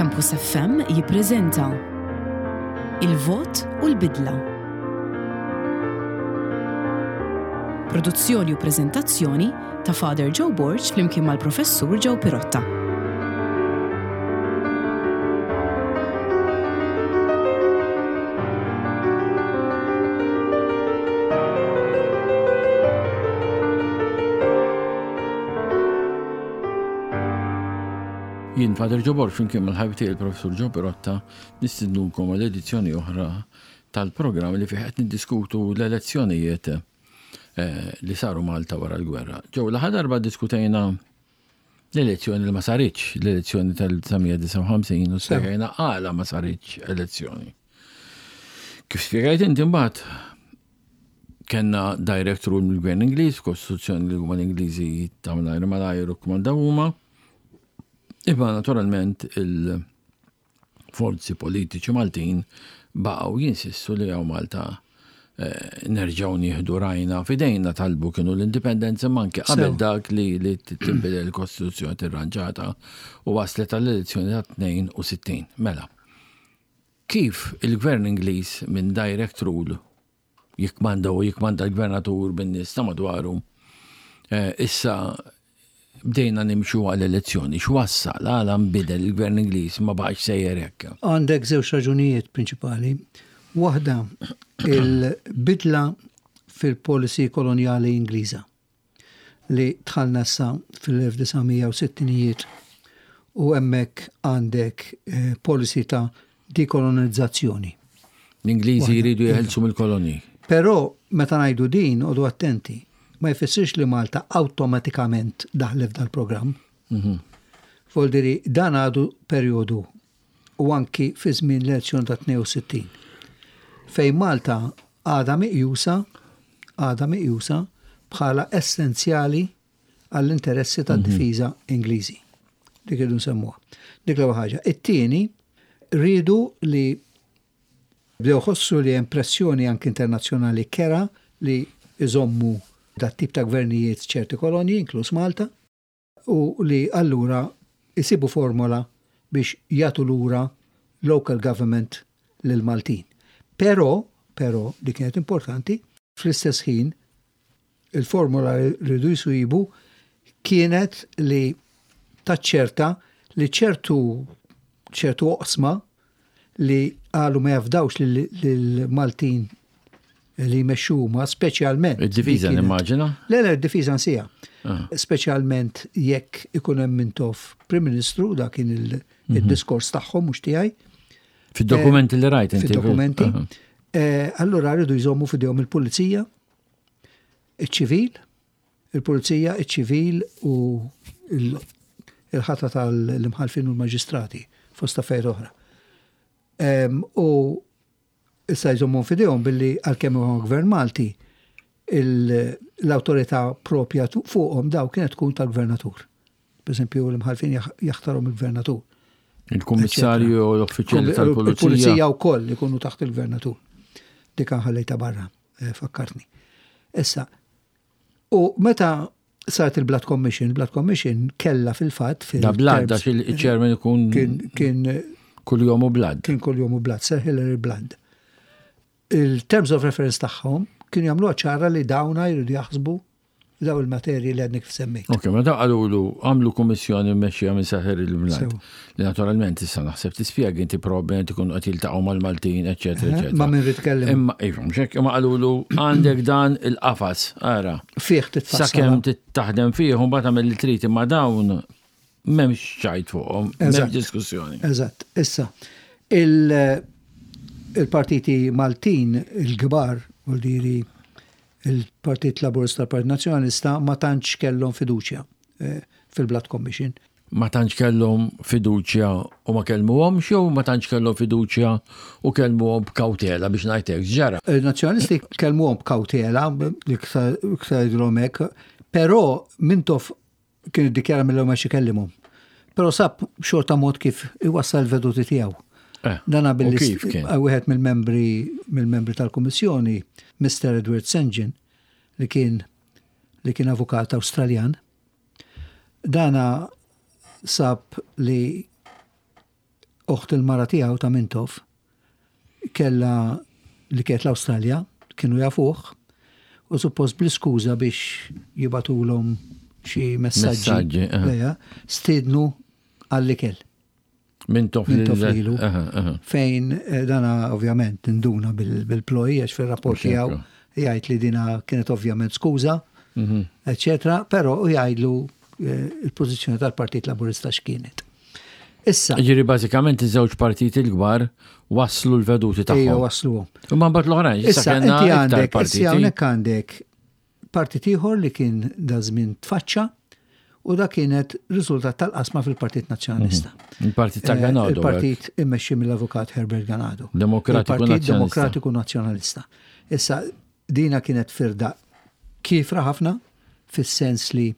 Campus FM jippreżenta Il-Vot u l-Bidla. Produzzjoni u preżentazzjoni ta' Father Joe Borg flimkien mal-Professur Joe Pirotta. Jien Father Joe Borg flimkien mal-ħabib tiegħi il-Professur Joe Pirotta nistidnukom għal edizzjoni oħra tal-programm li fih qed niddiskutu l-elezzjonijiet eh, li saru Malta wara l-gwerra. Ġew l-aħħar darba diskutejna l-elezzjoni li ma saritx, l-elezzjoni tal-1959 u spjegajna għala ma saritx elezzjoni. Kif spjegajt inti mbagħad kellna direct rule mill-gvern Ingliż, kostituzzjoni li huma l-Ingliżi ta' malajr malajr u kmandaw huma. Imma naturalment il- forzi politiċi Maltin baqgħu jinsistu li hawn Malta eh, nerġgħu nieħdu rajna f'idejna talbu kienu l-indipendenza imma anke qabel dak li li tinbidel il-Kostituzzjoni tirranġata u waslet għall-elezzjoni ta' 62. Mela, kif il-Gvern Ingliż minn direct rule jikkmanda u jikkmanda l-gvernatur bin-nies ta' madwaru. Eh, issa bdejna nimxu għal elezzjoni. X'wassal għala nbidel il-gvern Ingliż ma baqax sejjer hekk? Għandek żewġ raġunijiet prinċipali. Waħda il-bidla fil-policy kolonjali Ingliża. li dħalna issa fil-1960ijiet u hemmhekk għandek eh, policy ta' dekolonizzazzjoni. L-Ingliżi jridu jeħelsu mill-kolonji. Però meta ngħidu din, għodu attenti, ma jfissirx li Malta awtomatikament daħlet f'dal-programm. Mhm. Voldiri, dan għadu perjodu u anki fi żmien l-elezzjoni ta' 62. Fejn Malta għadha meqjusa għadha meqjusa bħala essenzjali għall-interessi tad-difiża mhm. Ingliżi. Dik irridu nsemmuha. Dik l-ewwel ħaġa. It-tieni rridu li bdew ħossu li hemm pressjoni anki internazzjonali kera li iżommu dat tip ta' gvernijiet ċerti kolonji, inkluż Malta, u li allura jsibu formola biex jagħtu lura local government lill-Maltin. Però, però, li kienet importanti, fl-istess ħin il-formola li rridu jsibu kienet li taċċerta li ċertu ċertu oqsma li qalu ma jafdawx lill-Maltin li jmexxu huma, speċjalment. Id-difiża nimmaġina? Le, le, id-difiża nsija. Ah. Speċjalment jekk ikun hemm Mintoff Prim Ministru, dak kien mhm. il-diskors tagħhom mhux tiegħi. Fid-dokumenti li rajt inti. Fid-dokumenti. Eh, allura rridu jżommu f'idejhom il-pulizija, iċ-ċivil, il-pulizija, iċ-ċivil u il-ħatra tal-imħalfin u l-maġistrati fost affarijiet oħra. U issa jżommhom f'idejhom billi għalkemm huwa gvern Malti l-awtorità propja fuqhom daw kienet tkun tal-gvernatur. Per esempio, l-imħalfin jaħtarhom il-gvernatur. Il-kummissarju u l-uffiċjali tal-pulizija. Il-pulizija wkoll ikunu taħt il-gvernatur. Dik ħallejta barra, eh, fakkartni. Issa, u meta saret il-Blood Commission, il-Blood Commission kella fil-fatt fil Da Blood, għax il-chairman ikun kien kull jomu Blood. Kien kull jomu Blood, Sir Hillary Blood. Il-terms of reference tagħhom kienu jagħmluha ċara li dawna jridu jaħsbu daw il-materji li għadni kif semmejt. Ok, ma daw qalulu għamlu kummissjoni mmexxija minn Sir Hillary Blood. Li naturalment issa naħseb tispjega inti probabbilment ikunu qed jiltaqgħu mal-Maltin, eċetera, eċetera. Ma min rid kellem. Imma iva, mhux hekk, imma qalulu għandek dan il-qafas, ara. Fih titfassal. Sakemm taħdem fih u mbagħad tagħmel li trid imma dawn m'hemmx ċajt fuqhom, m'hemmx diskussjoni. Eżatt. Issa, il-partiti Maltin il-kbar, vuol diri il-Partit Laburista l-Partit Nazzjonalista ma tantx kellhom fiduċja eh, fil-Blood Commission. Ma tantx kellhom fiduċja u ma kellmuhomx jew ma tantx kellhom fiduċja u kellmuhom b'kawtela biex ngħid hekk x'ġara? Il-Nazzjonalisti kellmuhom b'kawtela, iktar jgħidulhom hekk, però Mintoff kien iddikjara mill-ewwel ma ikellimhom. Però sab xorta mod kif iwassal il-veduti tiegħu. Eh, Dana billi kif kien? wieħed mill-membri mill-membri tal-Kummissjoni, Mr. Edward St. li kien li kien avukat Awstraljan, Dana sab li Oħt il-mara tiegħu ta' Mintoff kellha li kienet l-Awstralja, kienu jafuh, u suppost bl-iskuża biex jibagħtulhom xi messaġġi. Stiednu għall-ikel. Mintoff lilu. Fejn eh, dana ovvjament induna bil-ploj għax fir-rapport tiegħu jgħid li dina kienet ovvjament skuża, mhm. eccetera, però jgħidlu eh, il-pożizzjoni tal-Partit Laburista x'kienet. Issa. Ġiri bażikament iż-żewġ partiti l-kbar waslu l-veduti tagħhom. Ejja wasluhom. U ma mbagħad l-oħrajn, issa inti għandek, issa hawnhekk għandek partit ieħor li kien da żmien tfaċċa u da kienet riżultat tal-qasma fil-Partit Nazzjonalista. Mhm. Il-Partit ta' eh, Ganado. Il-Partit immexxi mill-Avukat Herbert Ganado. Demokratiku Partit Demokratiku Nazzjonalista. Issa dina kienet firda kifra ħafna fis-sens li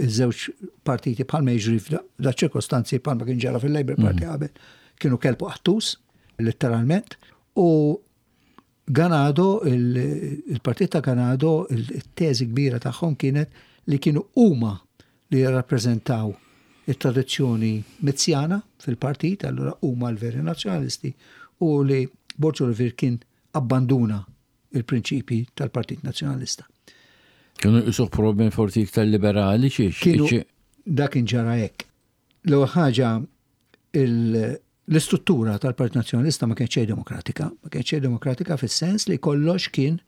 iż-żewġ partiti bħalma jiġri f'da ċirkostanzi bħalma kien ġara fil-Labour Party mhm. qabel kienu kelbu qattus, letteralment, u Ganado, il-partit ta' Ganado, il-teżi kbira tagħhom kienet li kienu huma li jirrappreżentaw it-tradizzjoni Mizzjana fil-partit, allura huma l-veri nazzjonalisti, u li Borg Olivier kien abbanduna il-prinċipji tal-Partit Nazzjonalista. Kienu jqisuh probabbilment forsi iktar liberali xiex. Kienu dak kien ġara hekk. L-ewwel ħaġa l-istruttura tal-Partit Nazzjonalista ma kienx xejn demokratika, ma kienx xejn demokratika fis-sens li kollox kien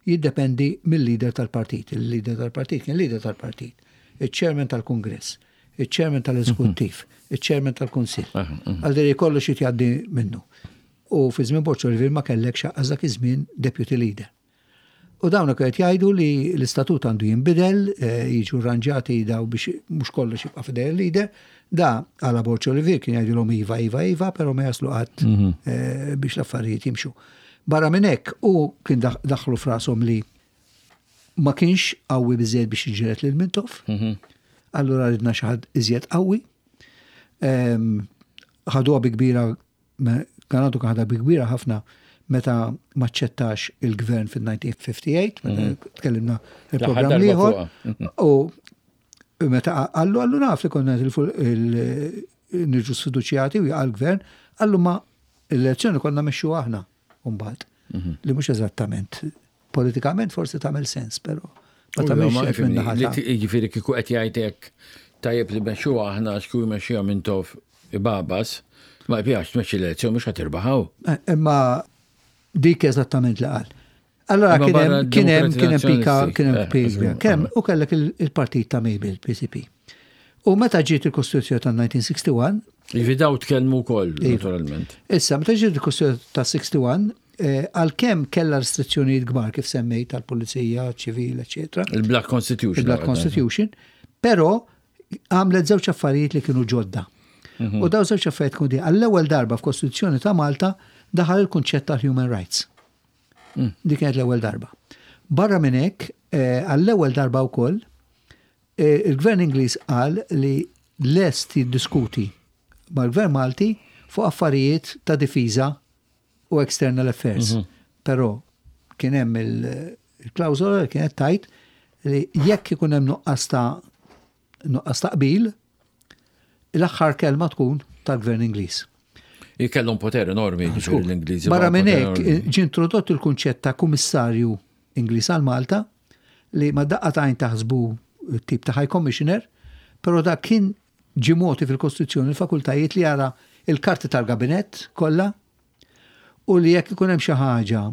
jiddependi mill-leader tal-partit. Il-leader tal-partit kien leader tal-partit, il-chairman tal-Kungress, il-chairman tal-Eżekuttiv, il-chairman tal-Kunsill. Għal kollox jitjaddi minnu. U fi żmien Borg Olivier ma kellekx aqqas dak iż-żmien deputy leader. U dawn kienu qed jgħidu li l-istatut għandu jinbidel, eh, jiġu rranġati daw biex mhux kollox jibqa' fidej il-leader. Da għala Borg Olivier kien jgħidilhom iva, iva, iva, però ma jaslu qatt mhm. eh, biex l-affarijiet jimxu. Barra minn hekk u kien daħlu frashom li ma kienx qawwi biżejjed biex jiġġieled lil Mintoff. Mhm. Allura ridna xi ħadd iżjed qawwi. Ehm, ħaduha bi kbira Ganado kien ħadha bi kbira ħafna meta maċċettax il-gvern fil-1958, meta mhm. tkellimna il-programm liħor, mhm. u meta għallu għallu naf li konna nirġu sfiduċjati u jaqa' l-gvern, għallu ma l-elezzjoni konna mexxu aħna mbagħad. Mhm. Li mhux eżattament Politikament forsi tagħmel sens, però ma tagħmilx hekk minn naħa. Jiġifieri kieku qed jgħid hekk tajjeb li mexxuha aħna għax kieku jmexxiha Mintoff ibabas, ma jpjax tmexxi l-elezzjoni mhux ħa tirbaħaw. Eh, imma dik eżattament li qal. Allora kien hemm kien hemm kien hemm pika kien hemm eh, pika kemm u kellek il-partit ta' Mabel PCP. U meta ġiet il-Kostituzzjoni ta' 1961 Jiġifieri daw tkellmu wkoll, iva. naturalment. Issa, meta ġiet il-Kostituzzjoni ta' 61, Eh, għalkemm kellha restrizzjonijiet kbar kif semmejt tal-pulizija, ċivil, eċetera. Il-Black Constitution. Il-Black Constitution, però għamlet żewġ affarijiet li kienu ġodda. Mhm. U daw żewġ affarijiet kienu għall-ewwel darba f'Kostituzzjoni ta' Malta daħal il-kunċett tal-human rights. Mm. Dik kienet l-ewwel darba. Barra minn hekk, eh, għall-ewwel darba wkoll, eh, il-Gvern Ingliż qal li lest jiddiskuti mal-Gvern Malti fuq affarijiet ta' difiża u External Affairs. Mhm. Però kien hemm il-klawżola li kienet tajt li jekk ikun hemm nuqqas ta' nuqqas ta' qbil, l-aħħar kelma tkun tal-Gvern Ingliż. Jikellhom poter enormi ġifieri l-Ingliżi. Barra minn hekk ġie introdott il-kunċett ta' kummissarju Ingliż għal Malta li ma daqqa tajn taħsbu tip ta' High Commissioner, però dak kien Ġie mogħti fil-Kostituzzjoni l-fakultajiet li jara l-karti tal-Gabinett kollha u li jekk ikun hemm xi ħaġa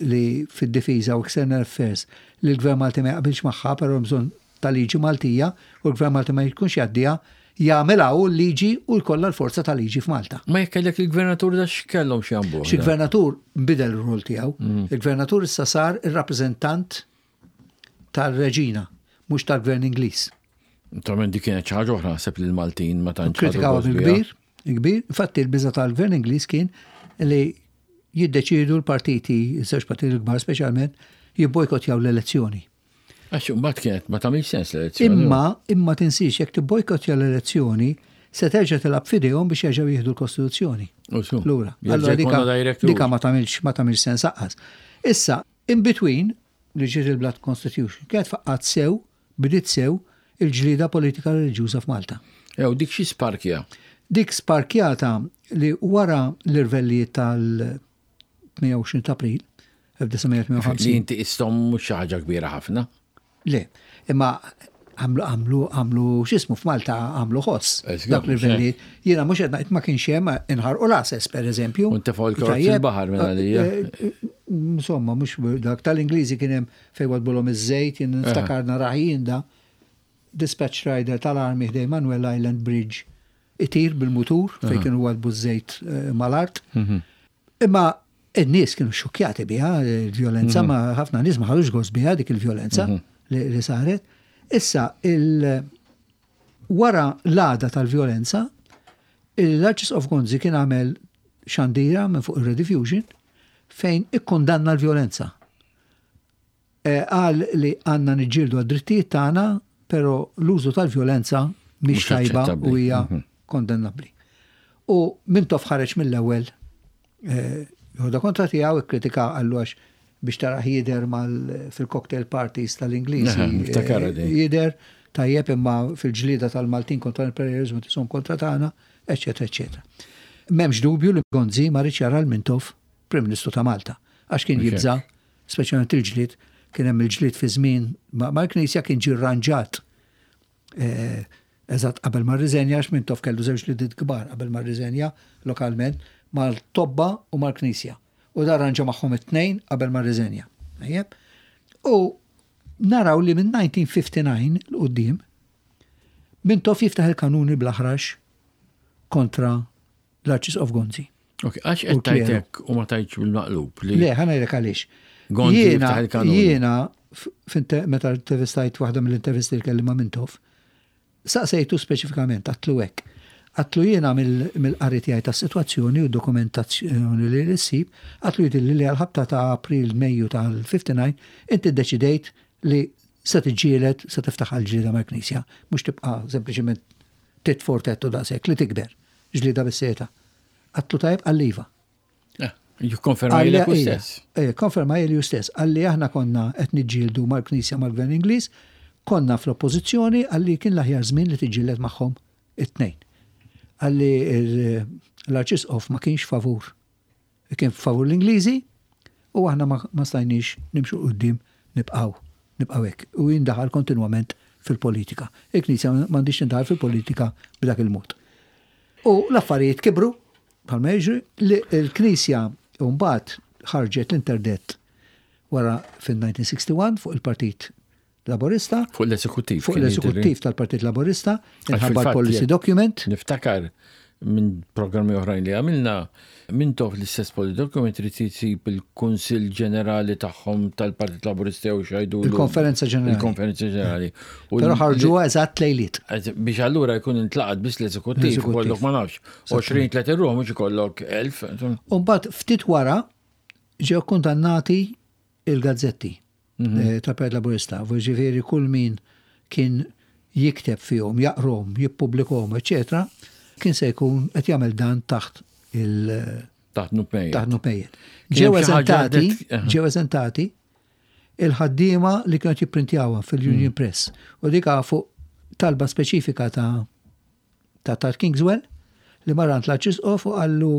li fid-difiża u external affairs li l-Gvern Malti ma jaqbilx magħha però hemm bżonn ta' liġi Maltija u l-Gvern Malti ma jkunx jgħaddiha, jagħmilha hu l-liġi u jkollha l-forza ta' liġi f'Malta. Ma jekk kellek il-gvernatur da x'kellhom x'jambuh? Xi gvernatur nbidel ir-rol tiegħu. Mm. Il-gvernatur issa sar ir-rappreżentant tar-reġina, mhux tal-gvern Ingliż. Naturalment dik kienet xi ħaġa oħra naħseb li l-Maltin ma tantx. Kritikaw bil-kbir, kbir. Infatti l-biża tal-gvern Ingliż kien li jiddeċiedu l-partiti, iż-żewġ partiti l-kbar speċjalment, jibbojkottjaw l-elezzjoni. Għax imbagħad kienet ma tagħmilx sens l-elezzjoni. Imma, imma tinsiex jekk tibbojkottja l-elezzjoni, se terġa' tilgħab f'idejhom biex jerġgħu jieħdu l-Kostituzzjoni. Lura. Allura dika ma tagħmilx ma tagħmilx sens aqqas. Issa, in between, li ġiet il-Blood Constitution, kienet faqqgħet sew, bdiet sew, il-ġlieda politika reliġjuża f'Malta. Ew, dik xi sparkja? Dik sparkjata li wara l-irvellijiet tal-28 ta' April 1958. Li inti istom mhux xi ħaġa kbira ħafna. Le, imma għamlu għamlu għamlu x'ismu f'Malta għamlu ħoss. Dak l-irvellijiet. Jiena mhux qed ngħid ma kienx hemm inħarqu l-għases pereżempju. U ntefgħu l-karozzi l-baħar minn għalija. Eh, eh, insomma, mhux dak tal-Ingliżi kien hemm fejn wadbulhom iż-żejt, jien niftakar narah jien da dispatch rider tal-armi ħdej Manuel Island Bridge itir bil-mutur fejn kienu wadbu ż-żejt eh, mal-art. Mhm. Imma n-nies kienu xokjati biha il-vjolenza, mhm. ma ħafna nies ma ħadux gost biha dik il-vjolenza mhm. li saret. Issa il wara l-għada tal-vjolenza, l-Arċisqof Gonzi kien għamel xandira minn fuq il-Rediffusion fejn ikkundanna l-vjolenza. Qal li għandna niġġieldu għad-drittijiet tagħna, però l-użu tal-vjolenza mhix tajba u hija mhm. kondannabbli. U Mintoff ħareġ mill-ewwel eh, joħodha kontra tiegħu ikkritika qallu għax biex taraħ jider mal fil-cocktail parties tal-Ingliżi. Eh, jider tajjeb imma fil-ġlieda tal-Maltin kontra l-imperializmu tisom kontra tagħna, eċetera, eċetera. M'hemmx dubju li Gonzi ma riedx jara l-Mintoff Prim Ministru ta' Malta għax kien jibża' speċjalment il-ġlied, kien hemm il-ġlied fi żmien mal-Knisja kien ġie rranġat eh, eżatt qabel ma rriżenja għax Mintoff kellu żewġ ġlidiet kbar qabel ma rriżenja lokalment mal-tobba u mal-Knisja. U da rranġa magħhom it-tnejn qabel ma rriżenja. U naraw li minn 1959 l-qudiem Mintoff jiftaħ il-kanuni bl-aħrax kontra l-Arċisqof Gonzi. Ok, għax qed tajtek u ma tajtx bil-maqlub li. Le, ħa ngħidlek għaliex. Gonzi jiftaħ il-kanun. Jiena meta intervistajt waħda mill-intervisti li kelli ma' Mintoff, saqsejtu speċifikament għatlu hekk. Għatlu jiena mill-qari tiegħi tas-sitwazzjoni u dokumentazzjoni li ssib, għatlu jidhirli li għal-ħabta ta' April Mejju tal-59 inti ddeċidejt li se tiġġieled, se tiftaħ għal-ġlieda mal-Knisja, mhux tibqa' sempliċement tit fortettu daqshekk li tikber ġlieda bis-seta. Għatlu tajjeb qalli iva. Eh, jikkonferma li hu stess. Eh, konferma li hu stess. Qalli aħna konna qed niġġieldu mal-Knisja mal-Gvern Ingliż, konna fl-oppożizzjoni qalli kien l-aħjar żmien li tiġġieled magħhom it-tnejn. Qalli l-Arċisqof ma kienx favur Kien favur l-Ingliżi u aħna ma stajniex nimxu 'l quddiem nibqgħu nibqgħu hekk. U jindaħal kontinwament fil-politika. Il-Knisja m'għandhiex tindaħal fil-politika b'dak il-mod. U l-affarijiet kibru bħalma jiġri li l-Knisja mbagħad ħarġet l-interdett wara fil-1961 fuq il-Partit Laburista. Fuq l-eżekuttiv. Fuq l-eżekuttiv tal-Partit Laburista, inħabba l-policy document. Niftakar minn programmi oħrajn li għamilna, minn tof l-istess policy document trid isib il-Kunsill Ġenerali tagħhom tal-Partit Laburista jew xajdu. Il-Konferenza Ġenerali. Il-Konferenza Ġenerali. Però ħarġuha eżatt lejliet. Biex allura jkun intlaqat biss l-eżekuttiv, kollok ma nafx. 20-30 ruħ mhux ikollok 1000. U mbagħad ftit wara ġew kundannati il-gazzetti. Mhm. Eh, tal-Partit Laburista, ġifieri kull min kien jikteb fihom, jaqrom, jippubblikhom, eċetera, kien se jkun qed jagħmel dan taħt il- Taħt nupmejjet. Taħt nupmejjet. Ġew eżentati, ġew eżentati il-ħaddiema li kienu jipprintjawha fil-Union mm. Press. U dik fuq talba speċifika ta' ta' tal-Kingswell li mar għand l-Arċisqof u qallu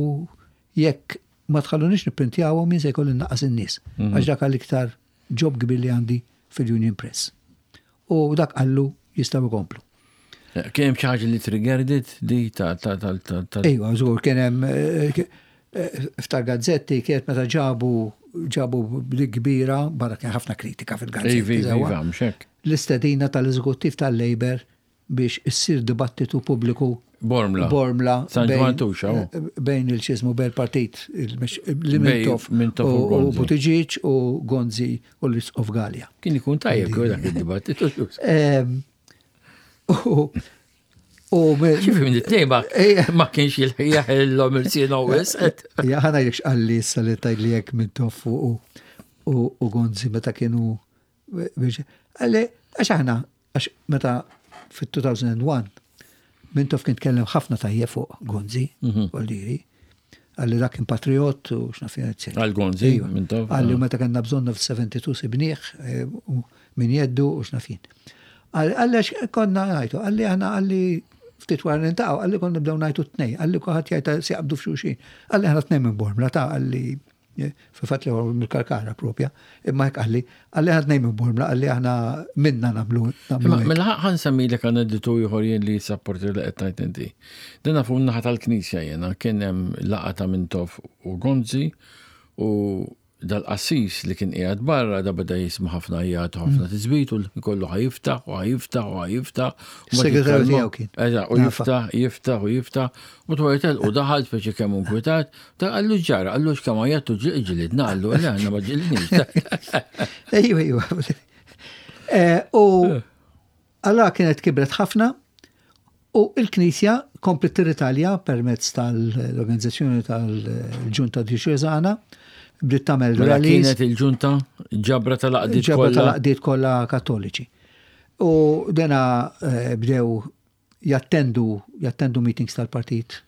jekk ma tħallunix nipprintjawhom jien se jkolli nnaqqas in-nies. Mhm. Għax dak għall-iktar ġob kbir li għandi fil-Union Press. U dak qallu jistgħu jkomplu. Eh, kien hemm xi ħaġa li triggered di ta' ta' ta' ta' ta' Ejwa, żgur kien hemm eh, eh, f'tal gazzetti kienet meta ġabu ġabu li kbira, barra kien ħafna kritika fil-gazzetti. Iva, iva, L-istedina tal-eżekuttiv tal-Labour biex issir dibattitu pubbliku Bormla. Bormla. San Ġwann Tuxa. Eh, bejn il-ċizmu bejn il-partit li Mintoff u Buttigieg u Gonzi u l-Isqof Galea. Kien ikun tajjeb kieku dak id-dibattitu. Ehm, u Kif minn it-tnejn ma kienx il-ħija il-sien u wisq. Ja ħana jekx qalli issa li tgħidli jekk Mintoff u Gonzi meta kienu biex qalli għax aħna Għax meta fit-2001 Mintoff kien tkellem ħafna tajjeb fuq Gonzi, mhm. Voldiri, għalli dak kien patriot u x'naf jien. Għal Gonzi, iva. Mintoff. Għalli ah. meta kellna bżonnu fil-72 sibnieh eh, min jeddu u x'naf jien. Għalli għax konna ngħidu, għalli aħna għalli Ftit wara niltaqgħu qalli konna nibdew ngħajtu t-tnejn, qalli kulħadd jgħid se jaqbdu f'xulxin. Qalli aħna tnejn minn Bormla ta' qalli fil-fatt li mill-Kalkara propja, imma hekk qalli, qalli aħna tnejn minn Bormla, qalli aħna minna nagħmlu. Mela ħa nsemmilek anedditu ieħor jien li jissapporti li qed tgħid inti. Dina fuq naħa tal-Knisja jiena kien hemm laqgħa ta' Mintoff u Gonzi u Dal-qassis li kien qiegħed barra da beda jisma' ħafna għajjat u ħafna tisbit u l-ħin kollu ħa jiftaħ u ħa jiftaħ u ħa jiftaħ. Segretarju tiegħu kien. Eżatt, u jiftaħ, jiftaħ u jiftaħ. U twar telqu daħal speċi kemm inkwitat, ta' qallu ġara, qallu x'kemm għajjat u ġlidna qallu le aħna ma ġlidniex. Ejwa, ejwa. Eh, u Allura kienet kibret ħafna u l-Knisja kompliet tirritalja permezz tal-organizzazzjoni tal-Ġunta Djoċesana, bdiet tagħmel Mela rallies. kienet il-ġunta ġabra tal-għaqdiet Ġabra kollha. tal-għaqdiet kollha Kattoliċi. U dena eh, bdew jattendu jattendu meetings tal-Partit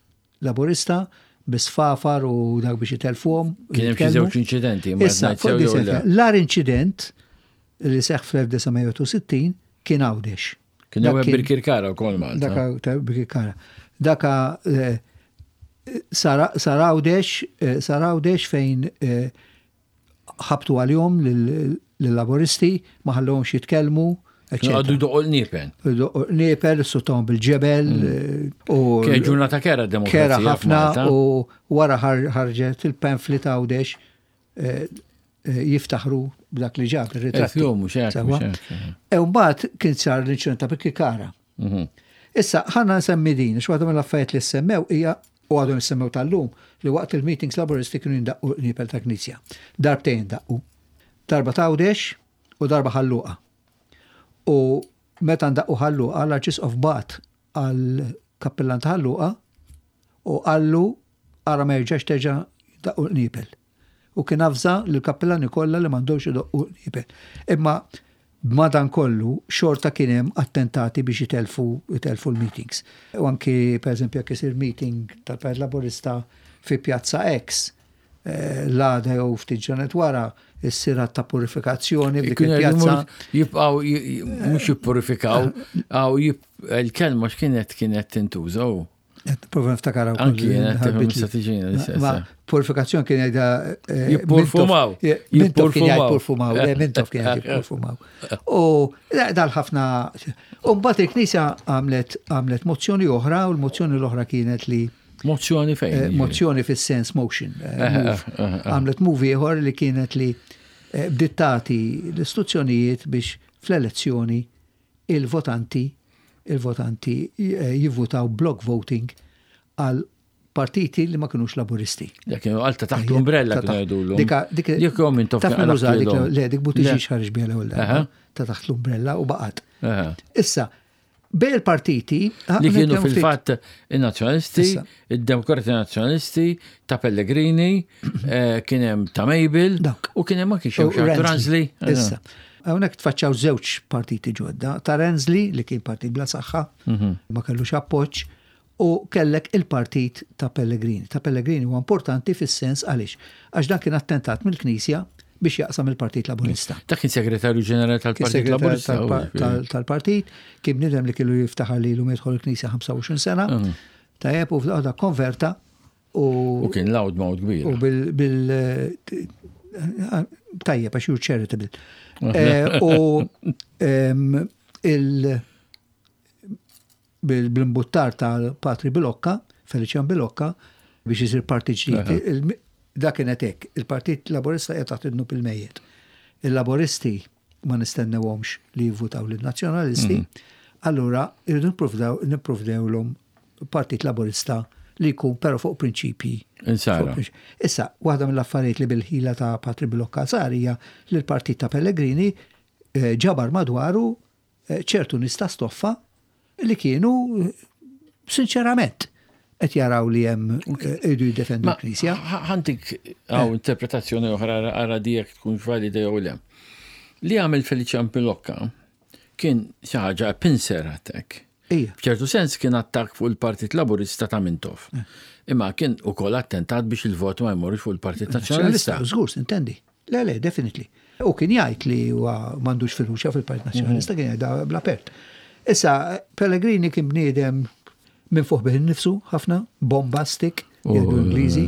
Laburista bi sfafar u dak biex itelfuhom. Kien hemm xi żewġ inċidenti, ma Issa, ngħid fuq sew jew di le. l-agħar inċident li seħħ fl-1961 kien Għawdex. Kien hemm Birkirkara wkoll Malta. Daka Birkirkara. Daka eh, sar Għawdex, eh, sar Għawdex fejn eh, ħabtu għalihom lill-Laburisti, ma ħallhomx jitkellmu. Għaddu jdoqqu l-niepen. Jdoqqu l-niepen, suttahom bil-ġebel. Mm. U Kien ġurnata kera demokrazija. Kera ħafna u wara ħarġet il-pamphlet Għawdex eh, eh, jiftaħru b'dak li ġab ir-ritratti. E mbagħad kien sar l-inċident ta' Birkirkara. Mhm. Issa, ħanna nsemmi din, x'waħda mill-affarijiet li semmew hija u għadhom jissemmew tal-lum li waqt il-meetings laburisti kienu jindaqqu l-qniepel ta' knisja. Darbtejn daqqu. Darba t'Għawdex u darba Ħal Luqa. U meta ndaqqu Ħal Luqa, l-Arċisqof bagħat għall-kappillan ta' Ħal Luqa u qallu ara ma jerġax terġa' jdaqqu l-qniepel. U kien avża lill-kappillani kollha li m'għandhomx idoqqu l-qniepel. Imma Madankollu, xorta kien hemm attentati biex itellfu itellfu l-meetings. U anki, per eżempju, jekk isir meeting tal-Partit Laburista fi Pjazza X, l-għada jew ftit ġranet wara, issir att ta' purifikazzjoni f'dik il-pjazza. Jibqgħu mhux jippurifikaw, għaw il-kelma x'kienet kienet tintuża u. Prova niftakar hawn. Anki jiena qed tiġina Ma purifikazzjoni kien jgħidha eh, jippurfumaw. Mintoff kien jgħid purfumaw, le Mintoff kien jgħid jippurfumaw. U dal ħafna. U mbagħad il-Knisja għamlet għamlet mozzjoni oħra u l-mozzjoni l-oħra kienet li Mozzjoni fejn? Eh, mozzjoni fis-sens motion. Eh, għamlet move ieħor li kienet li bdiet tagħti l-istruzzjonijiet biex fl-elezzjoni il-votanti il-votanti jivvutaw block voting għal partiti li ma kinux laburisti. Dak kienu għal ta' taħt l-umbrella kienu jgħidulhom. Dika dik Jekk jom intom taf min uża dik le dik Buttigieg ħareġ biha l-ewwel darba ta' taħt l-umbrella u baqgħet. Issa, bej il-partiti li kienu fil-fatt in-Nazzjonalisti, id-Demokrati Nazzjonalisti, ta' Pellegrini, eh, kien hemm ta' Mabel u kien hemm anki xi Ransley. Issa, hawnhekk tfaċċaw żewġ partiti ġodda, ta' Ransley li kien partit bla saħħa, mhm. ma kellux appoġġ, u kellek il-partit ta' Pellegrini. Ta' Pellegrini huwa importanti fis-sens għaliex għax dan kien attentat mill-Knisja biex jaqsam il-Partit Laburista. Ta' kien segretarju ġenerali tal-Partit Laburista. Tal-partit, kien bniedem li kellu jiftaħar li l jidħol il-Knisja 25 sena. Mhm. Tajjeb u f'daqqa konverta u. U kien loud mouth kbir. U bil. bil tajjeb għax you're charitable. Eh, u il bil-imbuttar ta' Patri Bilocca, Felician Bilocca, biex isir partit ġdid. Dak kienet hekk, il-Partit Laburista qiegħed taħt id-dnub il-mejjet. Il-Laburisti ma nistennewhomx li jivvutaw lin-Nazzjonalisti, mhm. allura irridu nipprovdewlhom Partit Laburista li jkun però fuq prinċipji. Issa, waħda mill-affarijiet li bil-ħila ta' Patri Bilocca sar hija li l-Partit ta' Pellegrini eh, ġabar madwaru eh, ċertu nies ta' stoffa li kienu eh, sinċerament qed jaraw li hemm iridu jiddefendu l-Knisja. Ħantik hawn interpretazzjoni oħra ara di jekk tkun valida jew le. Li għamel Felician Pilocca kien xi ħaġa pincer attack. F'ċertu sens kien attakk fuq il-Partit Laburista ta' Mintoff. Eh. Imma kien ukoll attentat biex il-vot ma jmorrux fuq il-Partit Nazzjonalista. Żgur, intendi. Le, le, definitely. U kien jgħid li huwa m'għandux fiduċja fil-Partit Nazzjonalista, mhm. kien jgħidha bla pert. Issa, Pellegrini kien bniedem Minn fuq bih innifsu ħafna, bombastic, jgħidu l-Ingliżi.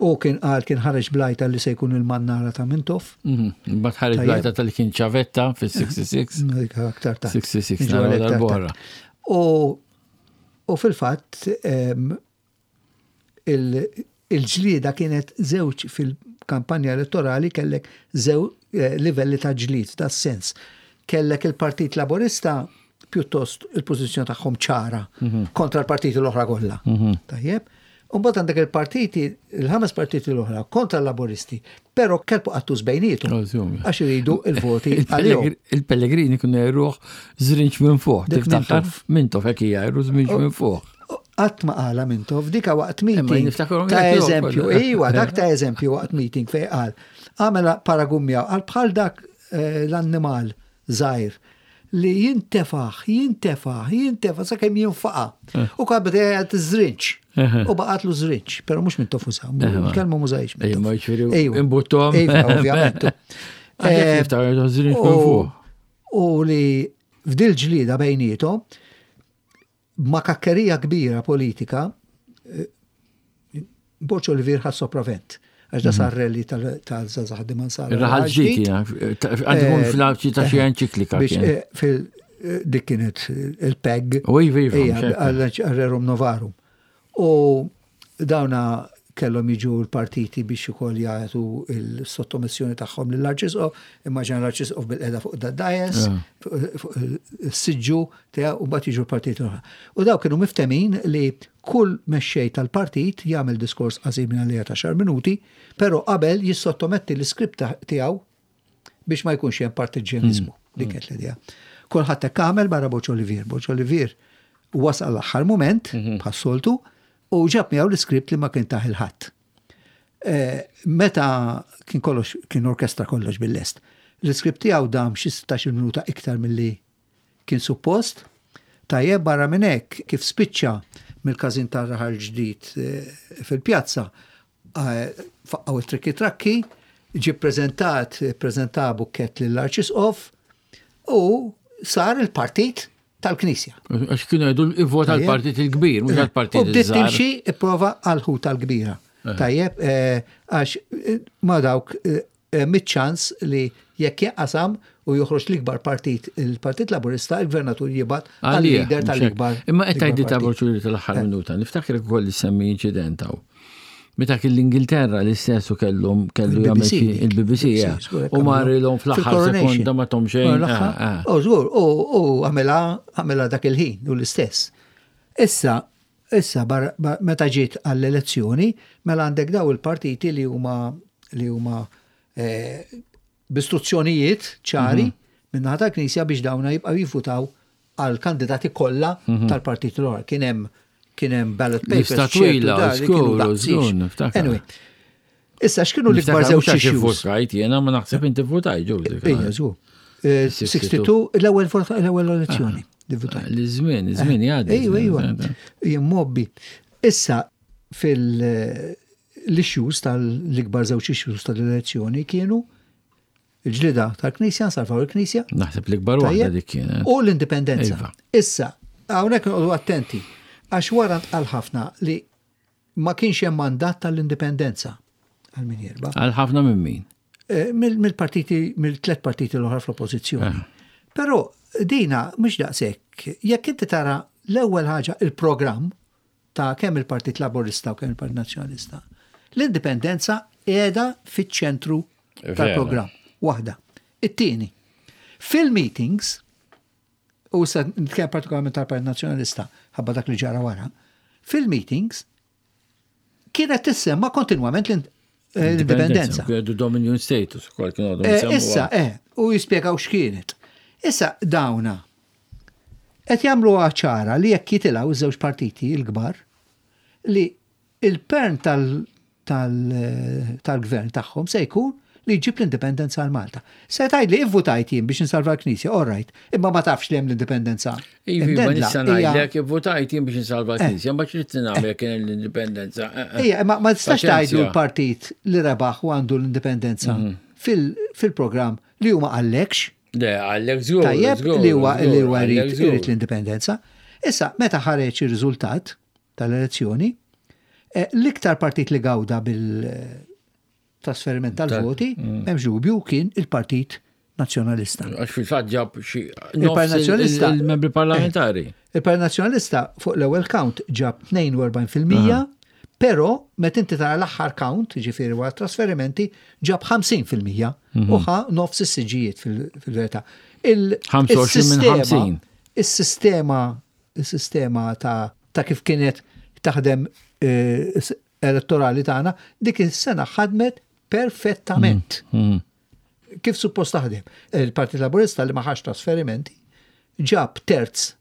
U kien qal kien ħareġ blajta li se jkun il-mannara ta' Mintoff. Mhm. Mbagħad ħareġ blajta tal kien ċavetta fis-66. Aktar tard. 66 naraw U fil-fatt il-ġlieda kienet żewġ fil-kampanja elettorali kellek żew eh, livelli ta' ġlied, ta' sens. Kellek il-Partit Laburista pjuttost il-pożizzjoni tagħhom ċara mhm. kontra l-partiti l-oħra kollha. Mhm. Tajjeb. Umbagħad għandek il-partiti, il-ħames partiti l-oħra kontra l-Laburisti, però kelbu qattus bejnietom. Għax iridu il-voti għalihom. Il-Pellegrini kienu jgħiruh żrinġ minn fuq. Tiftakar Mintoff hekk jgħiru żrinġ minn fuq. Qatt ma qala Mintoff, dika waqt meeting. Ta' eżempju, iwa, dak ta' eżempju waqt meeting fej qal. Għamela paragun miegħu, qal bħal dak eh, l-annimal żgħir li jintefaħ, jintefaħ, jintefaħ sakemm jinfaqa. Eh. U kabet jgħid żrinġ. U baqatlu żrinġ, però mhux minn tofusa, il-kelma mużajx. Ejja, ġifieri imbuttom. Ovvjament. Eh, u li f'dil ġlida bejnietom, ma' kakkerija kbira politika, eh, Borg Olivier ħa sopravent. Għax da sar rally tal-żgħażagħ Dimansara. Ir-raħal ġdid, għandu jkun fl-għawċi ta' xi enċiklika. Eh, dik kienet il-PEG. U iva, iva. Għal-Rerum Novarum. U dawna kellhom jiġu l-partiti biex ukoll jagħtu l-sottomissjoni tagħhom lill-Arċisqof, immaġina l-Arċisqof bil-qeda fuq dad-dajes, fuq is-siġġu tiegħu u mbagħad jiġu l-partiti l-oħra. U daw kienu miftemin li kull mexxej tal-partit jagħmel diskors qasir minn għalija ta' xar minuti, però qabel jissottometti l-iskript tiegħu biex ma jkunx hemm partiġġjaniżmu. Hmm. Dik kienet l-idea. Kulħadd hekk għamel barra Boċ Olivier. Boċ Olivier wasal l-aħħar mument, mhm. bħas-soltu, u ġab miegħu l-iskript li ma kien taħ il-ħadd. Eh, meta kien kollox kien orkestra kollox bil-lest. L-iskript tiegħu dam xi 16 minuta iktar milli kien suppost. Tajjeb barra minn hekk kif spiċċa mill-każin tar-raħal ġdid eh, fil-pjazza faqqgħu it-trikki trakki, ġie ppreżentat, ppreżenta bukkett lill-Arċisqof u sar il-partit tal-Knisja. Għax kienu jgħidu ivvota l-partit il-kbir, mhux għall-partit. U bdiet timxi ipprova għall-ħuta l-kbira. Eh. Tajjeb, eh, għax eh, ma dawk Hemm iċ-ċans li jekk jinqasam u joħroġ l-ikbar partit, il-Partit Laburista, il-Gvernatur jibgħat għal-leader tal-ikbar. Imma qed tgħidli ta' Borċuli tal-aħħar eh. minuta, niftakar ukoll li semmi inċident hawn. Meta kien l-Ingilterra l-istess u kellhom kellu jagħmel il-BBC u marilhom fl-aħħar sekonda ma tom xejn. Eh, eh. U żgur, u għamilha għamilha dak il-ħin u l-istess. Issa, Issa, meta ġiet għall-elezzjoni, mela għandek daw il-partiti li huma li huma eh, b'istruzzjonijiet ċari mhm. min-naħa tal-Knisja biex dawna jibqgħu jivvutaw għal kandidati kollha mhm. tal-partit l Kien hemm kien hemm ballot papers. Lista twila, Anyway, Issa x'kienu l-ikbar żewġ issues? Votajt jiena ma naħseb inti votajt ġew. Ejja, żgur. 62 eh, l-ewwel l-ewwel elezzjoni li votajt. L-żmien, iż-żmien eh, jgħaddi. Ejwa, ejwa. Jien mobbi. Issa fil l-issues tal-ikbar żewġ issues tal-elezzjoni kienu il-ġlida tal-Knisja, nsalvaw il-Knisja. Naħseb l-ikbar waħda dik kienet. U l-indipendenza. Iva. Issa, hawnhekk noqogħdu attenti, għax wara ntqal ħafna li Ma kienx hemm mandat tal-indipendenza għal min jirba. Għal ħafna minn min? Eh, mill-partiti, mill-tlet partiti l-oħra fl-oppożizzjoni. Eh. Però dina mhux daqshekk, jekk inti tara l-ewwel ħaġa il-programm ta' kemm il-Partit Laburista u kemm il-Partit Nazzjonalista, l-indipendenza qiegħda fiċ-ċentru tal-programm. Waħda. It-tieni, fil-meetings u issa nitkellem partikolarment tal-Partit Nazzjonalista ħabba dak li ġara wara, fil-meetings kienet tissemma kontinwament eh, l-indipendenza. Kienu Dominion status ukoll kienu għadhom. Eh, issa, eh, u jispjegaw x'kienet. Issa dawna qed jagħmlu ċara li jekk jitilgħu iż-żewġ partiti l-kbar li Il-pern tal-gvern tagħhom se jkun li jġib l-indipendenza għal Malta. Se tgħidli ivvutajt jien biex insalva l-Knisja, all right, imma ma tafx li hemm l-indipendenza. Ivi, ma nista' ngħidlek ivvutajt jien biex insalva eh. l-Knisja, ma xrid nagħmel kien l-indipendenza. Eh, eh. Ija, ma tistax tgħidlu l-partit li rebaħ u għandu l-indipendenza mhm. fil-programm li huma għallekx. Le, għallek żgur. Tajjeb li huwa li huwa jrid l-indipendenza. Issa, meta ħareġ ir-riżultat tal-elezzjoni, eh, l-iktar partit li gawda bil-trasferiment tal-voti, mm. m'hemmx dubju, kien il-Partit Nazzjonalista. Għax fil-fatt ġab xi Il-Partit Nazzjonalista il-membri parlamentari. Eh, Il-Partit Nazzjonalista fuq l-ewwel count ġab 42%, però meta inti tara l-aħħar count, ġifieri wara trasferimenti, ġab 50% mhm. u ħa nofs is-siġijiet fil-verità. Il-25 minn 50. Is-sistema is-sistema ta' ta' kif kienet taħdem eh, elettorali tagħna, dik is-sena ħadmet perfettament. Mm, mm. Kif suppost taħdem? Il-Partit Laburista li ma ħax trasferimenti ġab terz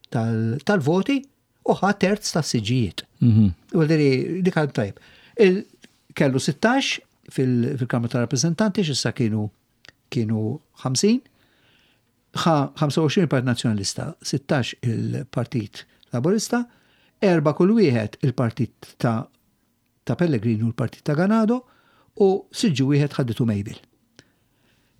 tal-voti u ħa terz tas-siġijiet. Mhm. U dik għal tajb. Kellu 16 fil-Kamra tal-Rappresentanti x'issa kienu kienu 50, ħa 25 il-Partit Nazzjonalista, 16 il-Partit Laburista, erba' kull wieħed il-Partit ta' ta' Pellegrini u l-Partit ta' Ganado u siġġu wieħed ħaditu Mabel.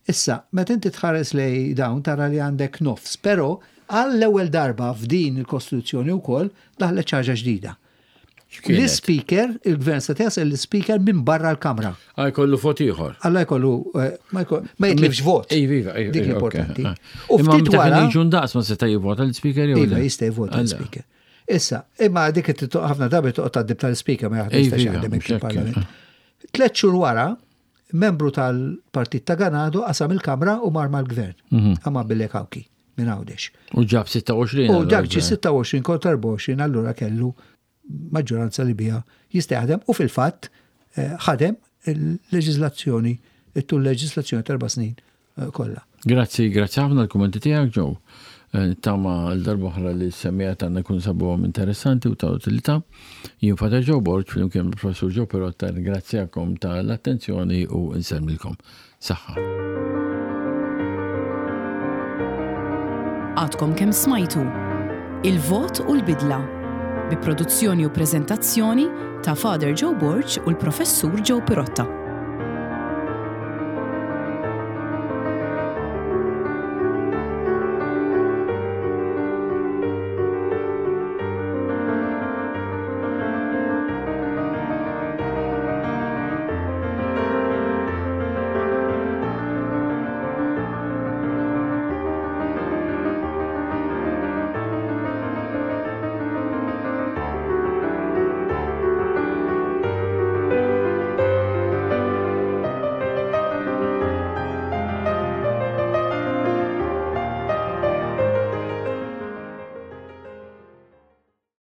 Issa, meta inti tħares lej dawn tara li għandek nofs, però għall-ewwel darba f'din il-Kostituzzjoni wkoll daħlet xi ħaġa ġdida. L-Ispeaker, il-Gvern se jasal l-Ispeaker minn barra l-Kamra. Għaj kollu vot ieħor. Alla jkollu, eh, ma jitlifx vot. Iva, iva, iva. Dik l-importanti. Ah. U ftit wara. Jiġu ndaqs ma seta' jivvota l-Speaker jew. Iva, jista' jivvota l-Speaker. Issa, imma dik ħafna drabi toqgħod tgħaddib tal-Speaker ma jaħdem jaħdem il-Parlament. Tlet xhur wara, membru tal-Partit ta' Ganado qasam il-Kamra u mar mal-Gvern. Mhm. Għama Bille Kawki minn Għawdex. U ġab 26. U dak ġi 26 kontra 24 allura kellu maġġoranza li biha jista' jaħdem u fil-fatt eh, ħadem il-leġiżlazzjoni, it-tul leġiżlazzjoni ta' erba' snin eh, kollha. Grazzi, grazzi ħafna l-kummenti tiegħek Joe. Eh, tama l-darba oħra li s-semija tagħna jkun sabuhom interessanti u ta' utilità. Jien Father Joe Borg flimkien mal-Professur Joe Pirotta ringrazzjakom tal-attenzjoni u nsellmilkom. Saħħa. Għadkom kemm smajtu Il-Vot u l-Bidla bi produzzjoni u preżentazzjoni ta' Father Joe Borg u l-Professur Joe Pirotta.